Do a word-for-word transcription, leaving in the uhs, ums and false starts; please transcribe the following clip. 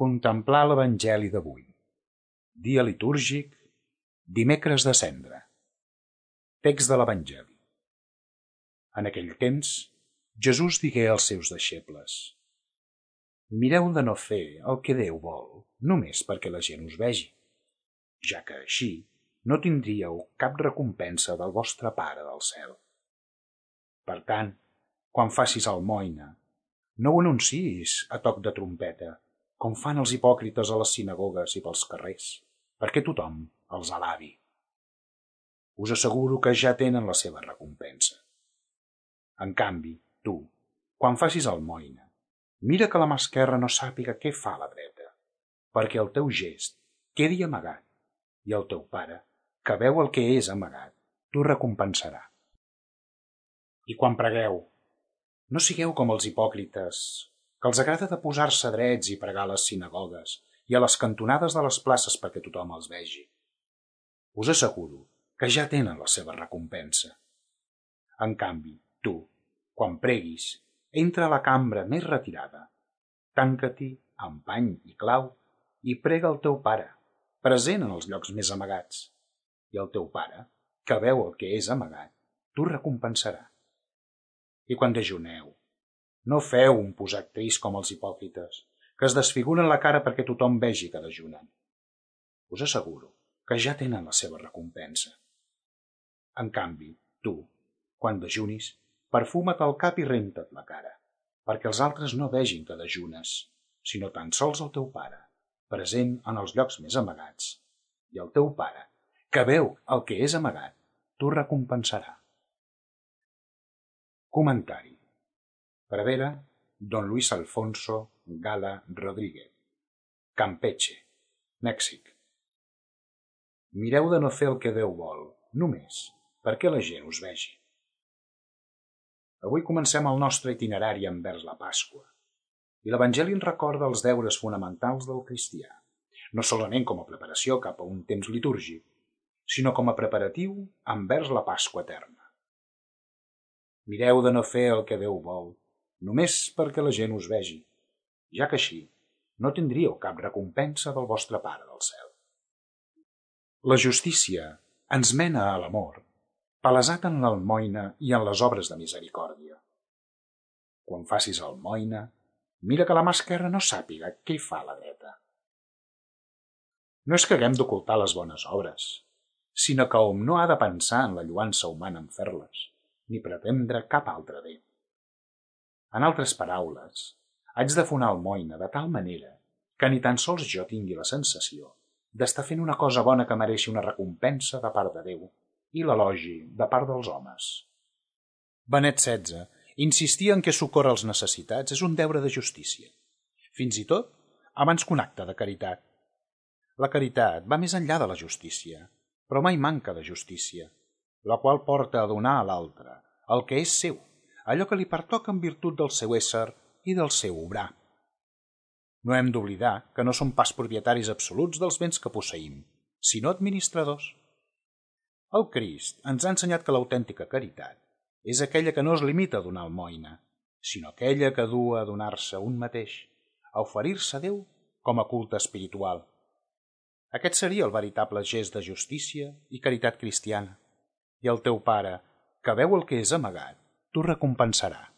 Contemplar l'Evangeli d'avui. Dia litúrgic, dimecres de Cendra. Text de l'Evangeli. En aquell temps, Jesús digué als seus deixebles: Mireu de no fer el que Déu vol, només perquè la gent us vegi, ja que així no tindríeu cap recompensa del vostre Pare del cel. Per tant, quan facis almoina, no ho anunciïs a toc de trompeta, com fan els hipòcrites a les sinagogues i pels carrers, perquè tothom els alabi. Us asseguro que ja tenen la seva recompensa. En canvi, tu, quan facis almoina, mira que la mà esquerra no sàpiga què fa la dreta, perquè el teu gest quedi amagat, i el teu Pare, que veu el que és amagat, t'ho recompensarà. I quan pregueu, no sigueu com els hipòcrites, que els agrada de posar-se drets i pregar a les sinagogues i a les cantonades de les places perquè tothom els vegi. Us asseguro que ja tenen la seva recompensa. En canvi, tu, quan preguis, entra a la cambra més retirada, tanca-t'hi amb pany i clau i prega al teu Pare, present en els llocs més amagats, i el teu Pare, que veu el que és amagat, t'ho recompensarà. I quan dejuneu, no feu un posat trist com els hipòcrites, que es desfiguren la cara perquè tothom vegi que dejunen. Us asseguro que ja tenen la seva recompensa. En canvi, tu, quan dejunis, perfuma't el cap i renta't la cara, perquè els altres no vegin que dejunes, sinó tan sols el teu Pare, present en els llocs més amagats, i el teu Pare, que veu el que és amagat, t'ho recompensarà. Comentari. Pradera, Don Luis Alfonso Gala Rodríguez, Campeche, Mèxic. Mireu de no fer el que Déu vol, només perquè la gent us vegi. Avui comencem el nostre itinerari envers la Pasqua, i l'Evangeli ens recorda els deures fonamentals del cristià, no solament com a preparació cap a un temps litúrgic, sinó com a preparatiu envers la Pasqua eterna. Mireu de no fer el que Déu vol, només perquè la gent us vegi, ja que així no tindríeu cap recompensa del vostre Pare del cel. La justícia ens mena a l'amor, palesat en l'almoina i en les obres de misericòrdia. Quan facis almoina, mira que la mà esquerra no sàpiga què hi fa la dreta. No és que haguem d'ocultar les bones obres, sinó que hom no ha de pensar en la lluança humana en fer-les, ni pretendre cap altre bé. En altres paraules, haig de fer una almoina de tal manera que ni tan sols jo tingui la sensació d'estar fent una cosa bona que mereixi una recompensa de part de Déu i l'elogi de part dels homes. Benet setze insistia en que socórrer els necessitats és un deure de justícia, fins i tot abans que un acte de caritat. La caritat va més enllà de la justícia, però mai manca de justícia, la qual porta a donar a l'altre el que és seu, allò que li pertoca en virtut del seu ésser i del seu obrar. No hem d'oblidar que no som pas propietaris absoluts dels béns que posseïm, sinó administradors. El Crist ens ha ensenyat que l'autèntica caritat és aquella que no es limita a donar almoina, sinó aquella que du a donar-se un mateix, a oferir-se a Déu com a culte espiritual. Aquest seria el veritable gest de justícia i caritat cristiana, i el teu Pare, que veu el que és amagat, t'ho recompensarà.